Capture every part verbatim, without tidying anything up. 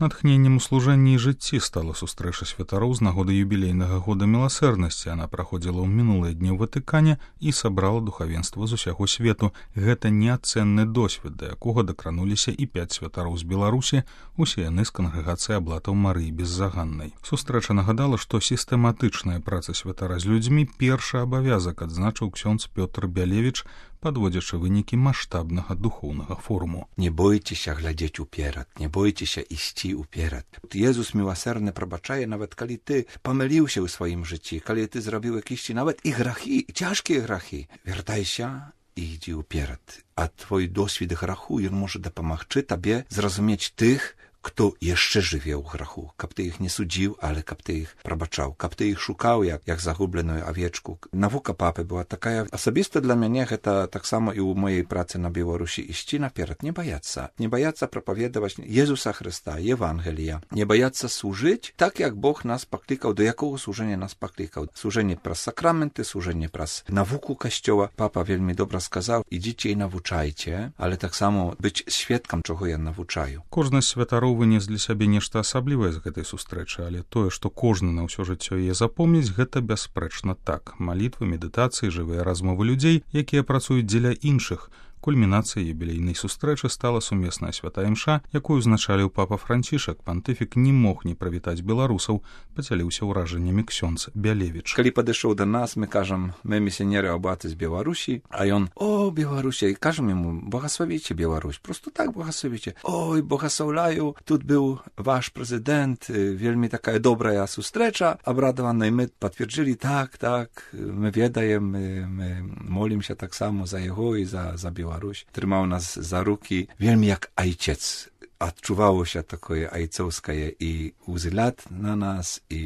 Натхненнем у служэнні і жыцці стала сустрэча святароў з нагоды юбілейнага года міласэрнасці. Яна праходзіла ў мінулыя дні ў Ватыкане і сабрала духавенства з усяго свету. Гэта неацэнны досвед, да якога дакрануліся і пяць святароў з Беларусі, усе яны з кангрэгацыі аблатаў Марыі Беззаганнай. Сустрэча нагадала, што сістэматычная праца святара з людзьмі першы абавязак, адзначыў ксёндз Пётр Бялевіч, падводзячы вынікі маштабнага духоўнага форуму. Не бойцеся глядзець уперад, не бойцеся ісці уперад. Езус міласэрны прабачае, нават калі ты памыліўся ў сваім жыцці, калі ты зрабіў якісьці нават і грахі, цяжкія грахі. Вяртайся і ідзі ўперад. А твой досвід граху, ён можа дапамагчы табе зразумець тых, хто яшчэ жыве ў граху, каб ты іх не судзіў, але каб ты іх прабачаў, каб ты іх шукаў, як, як загубленую авечку. Навука папы была такая. Асабіста для мяне гэта таксама і ў моей працы на Беларусі ісці наперад, не баяцца. Не баяцца прапаведаваць Езуса Хрыста, Евангелія. Не баяцца служыць так, як Бог нас паклікаў, да якога служэння нас паклікаў. Служэнне праз сакраменты, служэнне праз навуку касцёла. Папа вельмі добра сказаў, ідзіце і навучайце, але таксама быць сведкам, чаго я навучаю. Кожны з святароў вынес для сябе нешта асаблівае з гэтай сустрэчы, але тое, што кожны на ўсё жыццё яе запомніць, гэта бясспрэчна так. Малітвы, медытацыі, жывыя размовы людзей, якія працуюць дзеля іншых. Кульмінацыяй юбілейнай сустрэчы стала сумесная святая імша, якую узначаліў папа Францішак. Пантыфік не мог не прывітаць беларусаў, падзяліўся ўражаннямі ксёндз Бялевіч. Калі падышоў да нас, мы кажам, мы місіянеры абаты з Беларусі, а ён: "О, Беларуся", і кажам яму: "Благословіце Беларусь". Просто так благословіце. "Ой, благословляю, тут быў ваш прэзідэнт, вельмі такая добрая сустрэча". Абрадаваны мы пацвердзілі: "Так, так, мы ведаем, мы, мы молімся таксама за яго і за за Беларусь". Трымаў нас за рукі, вельмі як айцец. Адчувалася такое айцоўскае і ўзгляд на нас, і,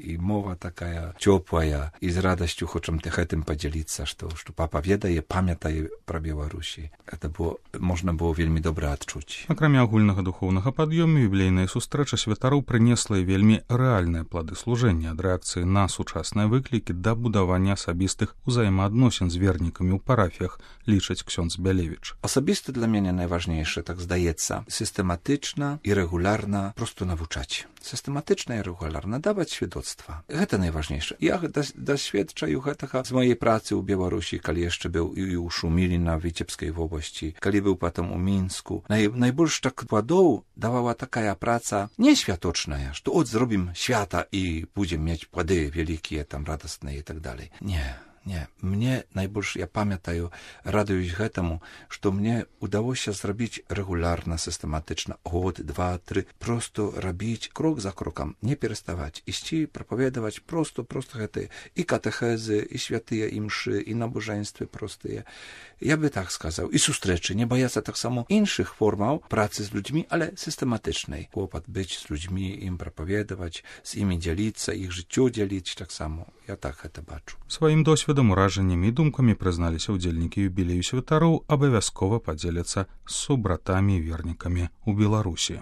і мова такая цёплая, і з радасцю хочам гэтым падзяліцца, што, што папа ведае, памятае пра Беларусі. Гэта было, можна было вельмі добра адчуць. Акрамя агульнага духоўнага пад'ёму, юбілейная сустрэча святароў прынесла і вельмі рэальныя плады служэння, ад рэакцыі на сучасныя выклікі да будавання асабістых узаемаадносін з вернікамі ў парафіях, лічыць ксёндз Бялевіч. Асабіста для мяне найважнейшае, так здаецца, сістэматычна і рэгулярна просто навучаць. Сістэматычна і рэгулярна даваць сведоцтва. Гэта найважнейшае. Я дасведчаю гэтага з маёй працы ў Беларусі, калі яшчэ быў і ў Шумілі на Віцебскай вобласці, калі быў потым у Мінску. Най, найбольш так пладоў давала такая праца не святочная, што от зробім свята і будзем мець плады вялікія, там радасныя і так далей. Не. Не, мне найбольш, я памятаю, радуюсь гэтаму, што мне удалося зрабіць рэгулярна, сістэматычна, год, два, тры, просто рабіць крок за крокам, не пераставаць, ісці, прапаведаваць просто, просто гэтыя і катэхезы, і святыя імшы, і набожэнствы простыя. Я бы так сказаў. І сустрэчы, не баяцца таксама іншых формаў працы з людзьмі, але сістэматычнай. Клопат быць з людзьмі, ім прапаведаваць, з імі дзяліцца, іх жыццё дзяліць таксама. Я так гэта бачу. Сваім досведам, уражаннямі і думкамі прызналіся ўдзельнікі юбілею святароў, абавязкова падзеляцца з субратамі і вернікамі ў Беларусі.